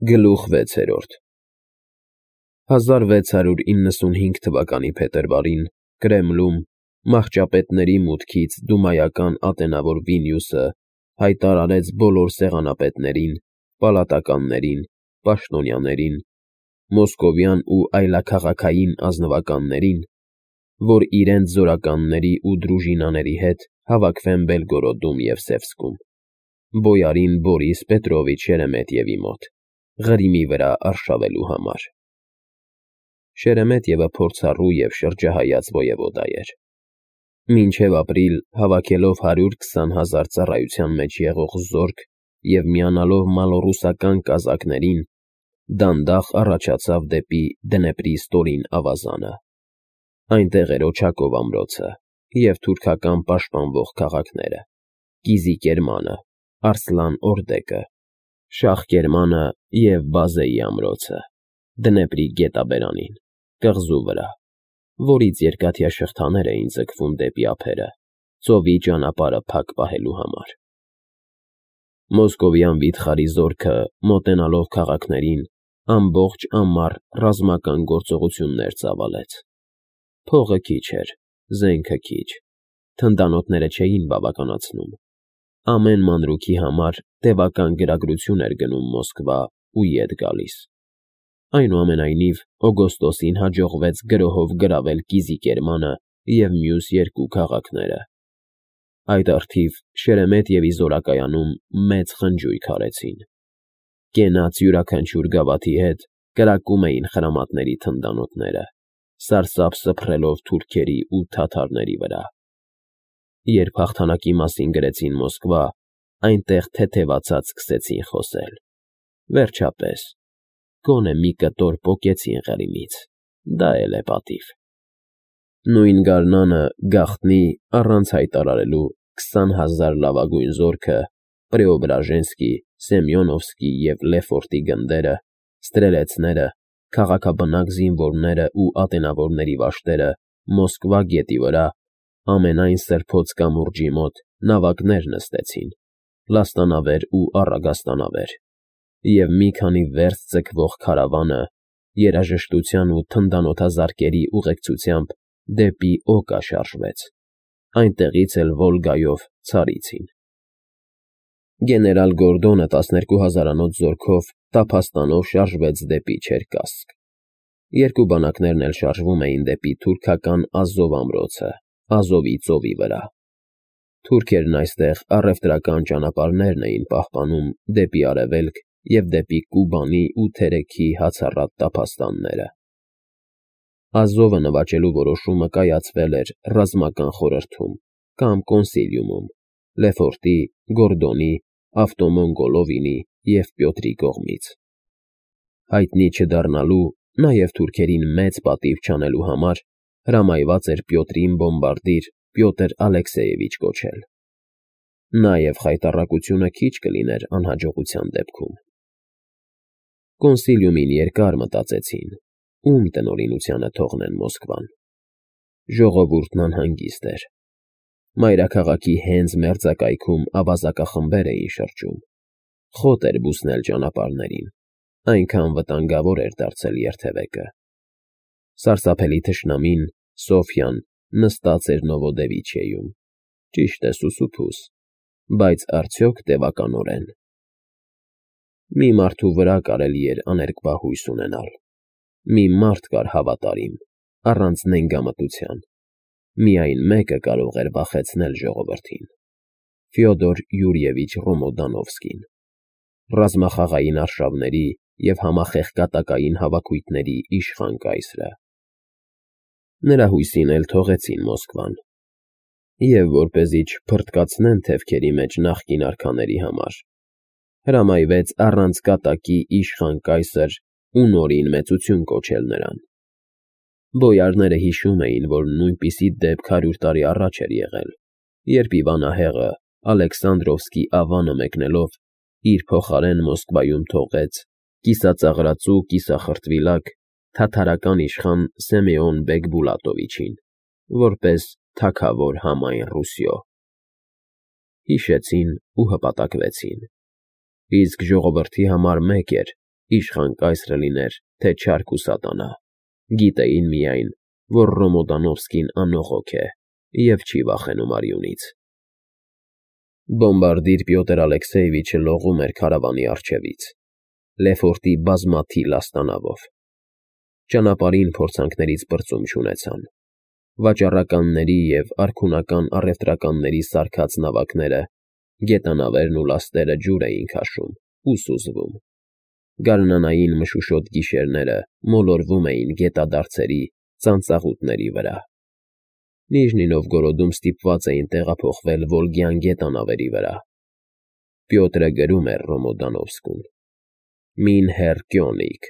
Գլուխ 6 1695 թվականի փետրվարին Կրեմլում մահճապետների մուտքից դումայական ատենավոր Վիլնյուսը հայտարարեց բոլոր սեղանապետներին, պալատականներին, պաշտոնյաներին, մոսկովյան ու այլաքաղաքային ազնվականներին, որ իրենց զորականների ու դրուժինաների հետ հավաքվեն Բելգորոդում և Սևսկում, բոյարին Բորիս Պետրովիչ Շերեմետևի մոտ, Ղրիմի վրա արշավելու համար։ Շերեմետևը փորձառու և շրջահայաց ոևոդա էր։ Մինչև ապրիլ հավաքելով 120,000 ծառայության մեջ եղող զորք և միանալով մալոռուսական կազակներին, դանդաղ առաջացավ դեպի Դնեպրի ստորին ավազանը։ Այնտեղ էր Օչակով ամրոցը և թուրքական պաշտպանվող քաղաքները՝ Կիզիկերմանը, Արսլան Օրդեկը, Շահկերմանը և Բազեի ամրոցը, Դնեպրի գետաբերանին, կղզու վրա, որից երկաթյա շղթաներ էին ձգվում դեպի ափերը, ծովի ճանապարհը փակ պահելու համար։ Մոսկովյան վիթխարի զորքը, մոտենալով քաղաքներին, ամբողջ ամառ ռազմական գործողություններ ծավալեց։ Փողը քիչ էր, զենքը քիչ, թնդանոթները չէին բավականացնում։ Ամեն մանրուքի համար տևական գրագրություն էր գնում Մոսկվա ու ետ գալիս։ Այնուամենայնիվ, օգոստոսին հաջողվեց գրոհով գրավել Կիզիկերմանը և մյուս երկու քաղաքները։ Այդ առթիվ Շերեմետևի զորակայանում մեծ խնջույք արեցին։ Կենաց յուրաքանչյուր գավաթի հետ կրակում էին խրամատների թնդանոթները, սարսափ սփռելով թուրքերի ու թաթարների վրա։ Երբ հաղթանակի մասին գրեցին Մոսկվա, այնտեղ թեթևացած սկսեցին խոսել։ Վերջապես, գոնե մի կտոր պոկեցին Ղրիմից, դա էլ է պատիվ։ Նույն գարնանը գաղտնի, առանց հայտարարելու 20,000 լավագույն զորքը Պրեոբրաժենսկի, Սեմյոնովսկի և Լեֆորտի գնդերը, ստրելեցները, քաղաքաբնակ զինվորները ու ատենավորների վաշտերը Մոսկվա գետի վրա, ամենայն սրբոց կամուրջի մոտ նավակներ նստեցին, լաստանավեր ու առագաստանավեր, և մի քանի վերց ձգվող քարավանը երաժշտության ու թնդանոթազարկերի ուղեկցությամբ դեպի Օկա շարժվեց, այնտեղից էլ Վոլգայով ցարիցին։ Գեներալ Գորդոնը 12,000-անոց զորքով տափաստանով շարժվեց դեպի Չերկասկ։ Երկու բանակներն էլ շարժվում էին դեպի թուրքական Ազով ամրոցը, Ազովի ծովի վրա։ Թուրքերն այստեղ առևտրական ճանապարհներն էին պահպանում դեպի արևելք և դեպի Կուբանի ու Թերեքի հացառատ տափաստանները։ Ազովը նվաճելու որոշումը կայացվել էր ռազմական խորհրդում կամ կոնսիլիումում Լեֆորտի, Գորդոնի, Ավտոմոն-Գոլովինի և Պյոտրի կողմից։ Հայտնի չդառնալու, նաև թուրքերին մեծ պատիվ չանելու համար հրամայված էր Պյոտրին բոմբարդիր Պյոտր Ալեքսեևիչ կոչել։ Նաև խայտառակությունը քիչ կլիներ անհաջողության դեպքում։ Կոնսիլիումին երկար մտածեցին, ում տնօրինությանը թողնեն Մոսկվան։ Ժողովուրդն անհանգիստ էր։ Մայրաքաղաքի հենց մերձակայքում ավազակախմբեր էին շրջում։ Խոտ էր բուսնել ճանապարհներին, այնքան վտանգավոր էր դարձել երթևեկը։ Սարսափելի թշնամին՝ Սոֆյան, նստած էր Նովոդևիչիեում, ճիշտ է, սուսուփուս, բայց արդյոք տևականորեն։ Մի մարդու վրա կարելի էր աներկբա հույս ունենալ։ Մի մարդ կար հավատարիմ, առանց նենգամտության։ Միայն մեկը կարող էր վախեցնել ժողովրդին՝ Ֆյոդոր Յուրիևիչ Ռոմոդանովսկին, ռազմախաղային արշավների և համախեղկատակային հավաքույթների իշխան կայսրը։ Նրա հույսին էլ թողեցին Մոսկվան։ Եվ որպեսզի չփռթկացնեն թևքերի մեջ նախկին արքաների համար, հրամայվեց առանց կատակի իշխան կայսր ու նորին մեծություն կոչել նրան։ Բոյարները հիշում էին, որ նույնպիսի դեպք 100 տարի առաջ էր եղել, երբ Իվանահեղը Ալեքսանդրովսկի ավանը մեկնելով իր փոխարեն Մոսկվայում թողեց կիսածաղրածու կիսախրտվիլակ թաթարական իշխան Սեմեոն բեգ Բուլատովիչին, որպես թագավոր համայն Ռուսիո։ Հիշեցին ու հպատակվեցին։ Իսկ ժողովրդի համար մեկ էր իշխան կայսրը լիներ, թե չարք ու սատանա, գիտեին միայն, որ Ռոմոդանովսկին անողոք է և չի վախենում արյունից։ Բոմբարդիր Պյոտր Ալեքսեևիչը լողում էր քարավանի առջևից, Լեֆորտի բազմաթիլ աստանավով։ Ճանապարհին փորձանքներից բրծում չունեցան։ Վաճառականների և արքունական առևտրականների սարքած նավակները, գետանավերն ու լաստերը ջուր էին քաշում ու սուզվում։ Գարնանային մշուշոտ գիշերները մոլորվում էին գետադարձերի ծանծաղուտների վրա։ Նիժնի Նովգորոդում ստիպված էին տեղափոխվել Վոլգյան գետանավերի վրա։ Պյոտրը գրում էր Ռոմոդանովսկուն. «Մին հեռ Կյոնիկ,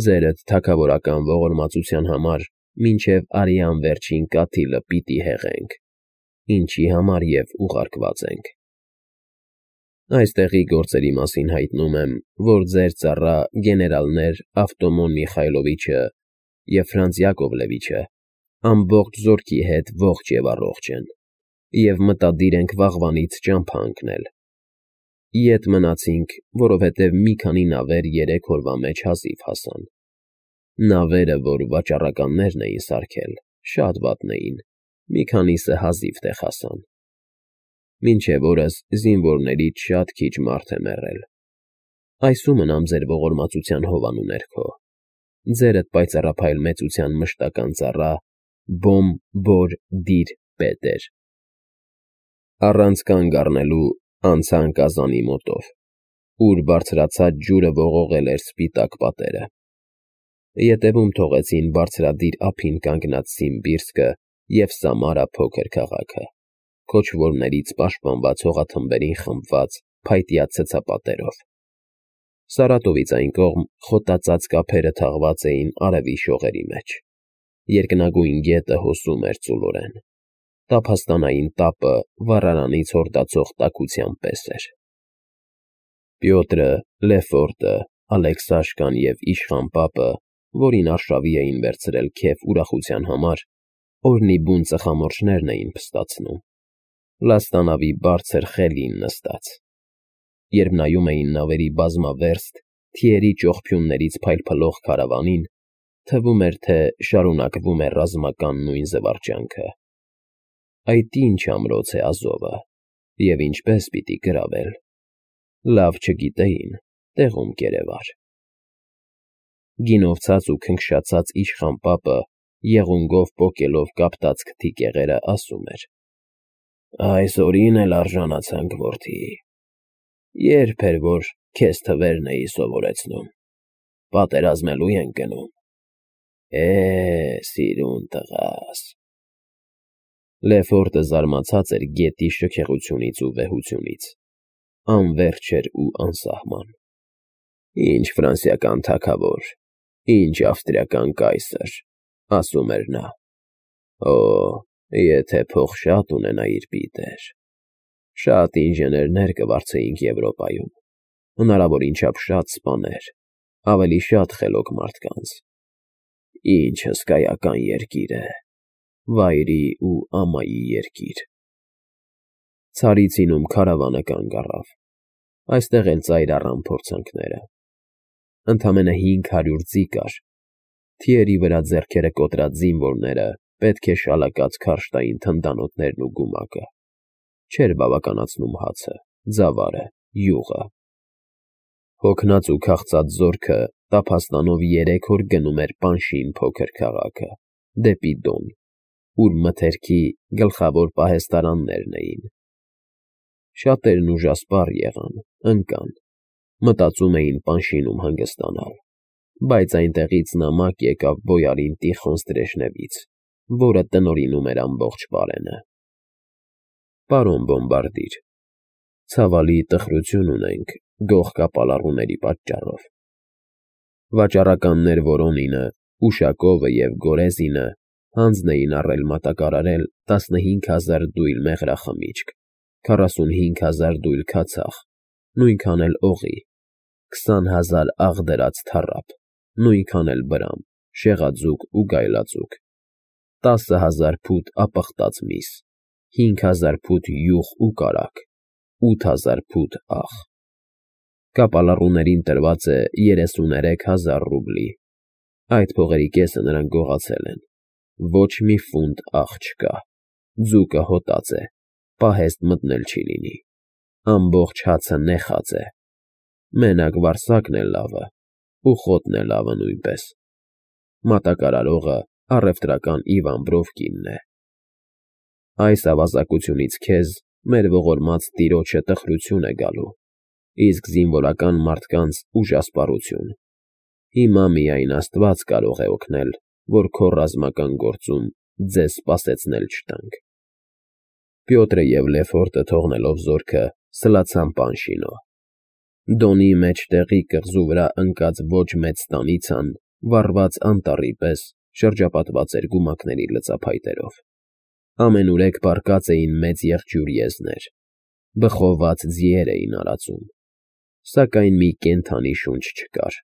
ձերդ թագավորական ողորմածության համար մինչև արյան վերջին կաթիլը պիտի հեղենք, ինչի համար և ուղարկված ենք։ Այստեղի գործերի մասին հայտնում եմ, որ ձեր ծառա գեներալներ Ավտոմոն Միխայլովիչը և Ֆրանց Յակովլևիչը ամբողջ զորքի հետ ողջ և առողջ են, և մտադիր ենք վաղվանից ճամփա ընկնել։ Ետ մնացինք, որովհետև մի քանի նավեր 3 օրվա մեջ հազիվ հասան։ Նավերը, որ վաճառականներն էին սարքել, շատ վատն էին, մի քանիսը հազիվ տեղ հասան։ Մինչև օրս զինվորներից շատ քիչ մարդ է մեռել։ Այսու մնամ ձեր ողորմածության հովանու ներքո։ Ձերդ պայծառափայլ մեծության մշտական ծառա Բոմ Բոր Դիր Պետեր»։ Առանց կանգ առնելու անցան կազանի մոտով, ուր բարձրացած ջուրը ողողել էր սպիտակ պատերը։ Ետևում թողեցին բարձրադիր ափին կանգնած Սիմբիրսկը և Սամարա փոքր քաղաքը, քոչվորներից պաշտպանված հողաթմբերին խմբված փայտյա ցցապատերով։ Սարատովից այն կողմ խոտածածկ ափերը թաղված էին արևի շողերի մեջ։ Երկնագույն գետը հոսում էր ծուլորեն։ Տափաստանային տապը վառարանից հորդացող տաքության պես էր։ Պյոտրը, Լեֆորտը, Ալեքսաշկան և իշխան պապը, որին արշավի էին վերցրել քեֆ ուրախության համար, օրնի բուն ծխամորճներն էին փստացնում, լաստանավի բարձր խելին նստած։ Երբ նայում էին նավերի բազմավերստ, թիերի ճողփյուններից փայլփլող քարավանին, թվում էր, թե շարունակվում է ռազմական նույն զվարճանքը։ Այդ ինչ ամրոց է Ազովը, և ինչպես պիտի գրավել։ Լավ չգիտեին, տեղում կերևար։ Գինովցած ու քնքշացած իշխան պապը, եղունգով պոկելով կապտած քթի կեղերը, ասում էր. «Այս օրին էլ արժանացանք, որդի։ Երբ էր, որ քեզ թվերն էի սովորեցնում, պատերազմելու ենք գնում։ Սիրուն տղաս»։ Լեֆորտը զարմացած էր գետի շքեղությունից ու վեհությունից, անվերջ էր ու անսահման։ «Ինչ ֆրանսիական թագավոր, ինչ ավստրիական կայսր», ասում էր նա։ «Օ, եթե փող շատ ունենայիր, Պիտեր, շատ ինժեներներ կվարձեինք Եվրոպայում, հնարավորին չափ շատ սպաներ, ավելի շատ խելոք մարդկանց։ Ինչ հսկայական երկիր է, վայրի ու ամայի երկիր»։ Ցարիցինում քարավանը կանգ առավ։ Այստեղ էլ ծայր առան փորձանքները։ Ընդամենը 500 ձի կար։ Թիերի վրա ձեռքերը կոտրած զինվորները պետք է շալակած քարշ տային թնդանոթներն ու գումակը։ Չէր բավականացնում հացը, ձավարը, յուղը։ Հոգնած ու քաղցած զորքը տափաստանով 3 օր գնում էր Պանշին փոքր քաղաքը, դեպի Դոն, ուր մթերքի գլխավոր պահեստարաններն էին։ Շատերն ուժասպառ եղան, ընկան, մտածում էին Պանշինում հանգստանալ, բայց այնտեղից նամակ եկավ բոյարին Տիխոն Ստրեժնևից, որը տնօրինում էր ամբողջ պարենը. «Պարոն Բոմբարդիր, ցավալի տխրություն ունենք գող կապալառուների պատճառով։ Վաճառականներ Վորոնինը, Ուշակովը և Գորեզինը հանձն էին առել մատակարարել 15,000 դույլ մեղրախմիչք, 45,000 դույլ քացախ, նույնքան էլ օղի, 20,000 աղդրած թառապ, նույնքան էլ բրամ, շեղաձուկ ու գայլաձուկ, 10,000 փութ ապխտած միս, 5,000 փութ յուղ ու կարագ, 8,000 փութ աղ։ Կապալառուներին տրված է 33,000 ռուբլի։ Այդ փողերի կեսը նրանք գողացել են։ Ոչ մի ֆունտ աղ չկա։ Ձուկը հոտած է, պահեստ մտնել չի լինի։ Ամբողջ հացը նեխած է։ Մենակ վարսակն է լավը, ու խոտն է լավը նույնպես։ Մատակարարողը առևտրական Իվան Բրովկինն է։ Այս ավազակությունից քեզ մեր ողորմած տիրոջը տխրություն է գալու, իսկ զինվորական մարդկանց ուժասպառություն։ Հիմա միայն Աստված կարող է օգնել, որ քո ռազմական գործում ձեզ սպասեցնել չտանք։ Պյոտրը և Լեֆորտը թողնելով զորքը սլացան Պանշինո։ Դոնի մեջտեղի կղզու վրա ընկած ոչ մեծ ստանիցան, վառված անտառի պես, շրջապատված էր գումակների լծափայտերով։ Ամենուրեք պառկած էին մեծ եղջյուր եզներ, բխոված ձիեր էին արածում, սակայն մի կենդանի շունչ չկար։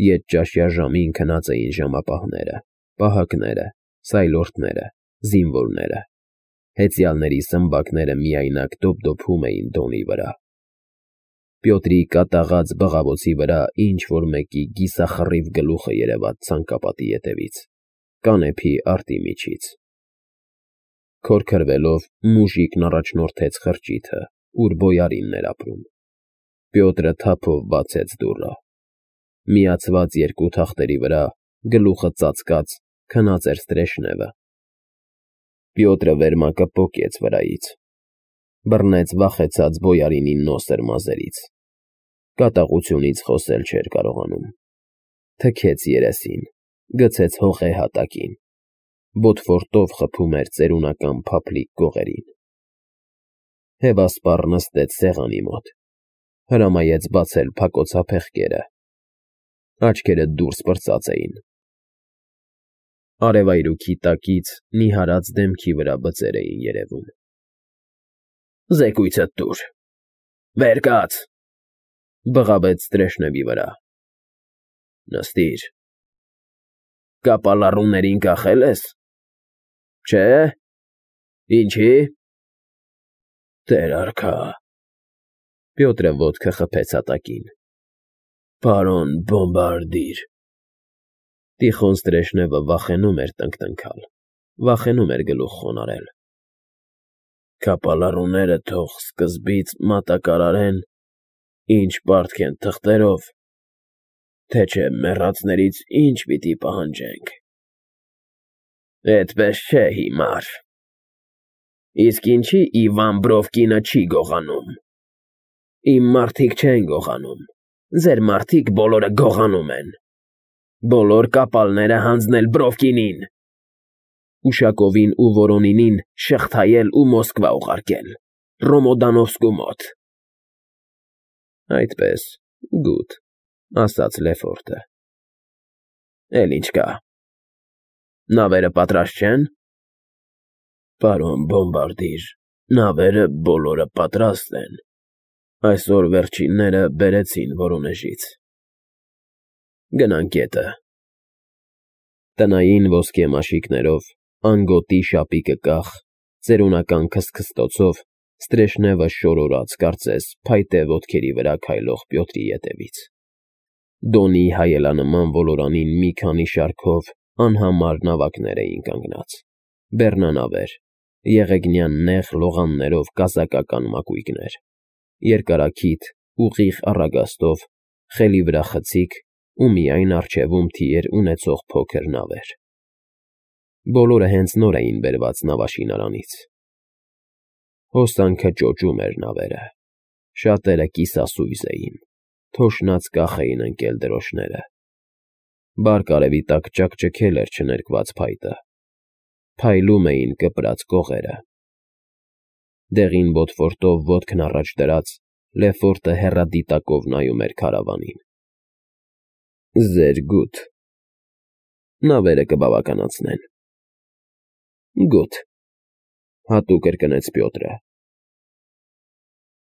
Ետճաշյա ժամին քնած էին ժամապահները, պահակները, սայլորդները, զինվորները։ Հեծյալների սմբակները միայնակ դոփդոփում էին Դոնի վրա։ Պյոտրի կատաղած բղավոցի վրա ինչ-որ մեկի կիսախռիվ գլուխը երևաց ցանկապատի ետևից, կանեփի արտի միջից։ Քորքրվելով մուժիկն առաջնորդեց խրճիթը, ուր բոյարինն էր ապրում։ Պյոտրը թափով բացեց դուռը։ Միացված երկու թախտերի վրա, գլուխը ծածկած, քնած էր Ստրեշնևը։ Պյոտրը վերմակը պոկեց վրայից, բռնեց վախեցած բոյարինին նոսր մազերից։ Կատաղությունից խոսել չէր կարողանում։ Թքեց երեսին, գցեց հողե հատակին, բոթվորտով խփում էր ծերունական փափլիկ կողերին։ Հեվասպառ նստեց սեղանի մոտ, հրամայեց բացել փակոցափեղկերը։ Աչքերը դուրս պրծած էին։ Արևայրուքի տակից նիհարած դեմքի վրա բծեր էին երևում։ Զեկույցդ տուր։ Վեր կաց, բղավեց Ստրեշնևի վրա։ Նստիր։ Կապալառուներին կախել ես։ Չէ։ Ինչի։ Տեր արքա։ Պյոտրը ոտքը խփեց հատակին։ Պարոն բոմբարդիր։ Տիխոն Ստրեշնևը վախենում էր տնկտնքալ, վախենում էր գլուխ խոնարհել։ Կապալառուները թող սկզբից մատակարարեն, ինչ պարտք են թղթերով, թե չէ մեռածներից ինչ պիտի պահանջենք։ Էդպես չէ հիմար։ Իսկ ինչի Իվան Բրովկինը չի գողանում։ Իմ մարդիկ չեն գողանում, ձեր մարդիկ բոլորը գողանում են։ Բոլոր կապալները հանձնել Բրովկինին։ Ուշակովին ու Վորոնինին շղթայել ու Մոսկվա ուղարկել, Ռոմոդանովսկու մոտ։ Այդպես, գութ, ասաց Լեֆորտը։ Էլ ինչ կա։ Նավերը պատրաստ չեն։ Պարոն բոմբարդիր, նավերը բոլորը պատրաստ են։ Այսօր վերջինները բերեցին Վորոնեժից։ Գնանք գետը։ Տնային ոսկե մաշիկներով, անգոտի շապիկը կախ, ծերունական քսքստոցով Ստրեշնևը շորորաց, կարծես, փայտե ոտքերի վրա քայլող Պյոտրի ետևից։ Դոնի հայելանման ոլորանին մի քանի շարքով անհամար նավակներ էին կանգնած, բեռնանավեր, եղեգնյան նեղ լողաններով կազակական մակույկներ, երկարաքիթ, ուղիղ առագաստով, խելի վրա խցիկ ու միայն առջևում թիեր ունեցող փոքր նավեր։ Բոլորը հենց նոր էին բերված նավաշինարանից։ Հոսանքը ճոճում էր նավերը, շատերը կիսասույզ էին, թոշնած կախ էին ընկել դրոշները։ Բարկ արևի տակ ճաքճքել էր չներկված փայտը, փայլում էին կպրած կողերը։ Դեղին բոթվորտով ոտքն առաջ դրած, Լեֆորտը հեռադիտակով նայում էր քարավանին։ Ձեր գութ։ Նավերը կբավականացնեն։ Գութ, հատուկ կրկնեց Պյոտրը։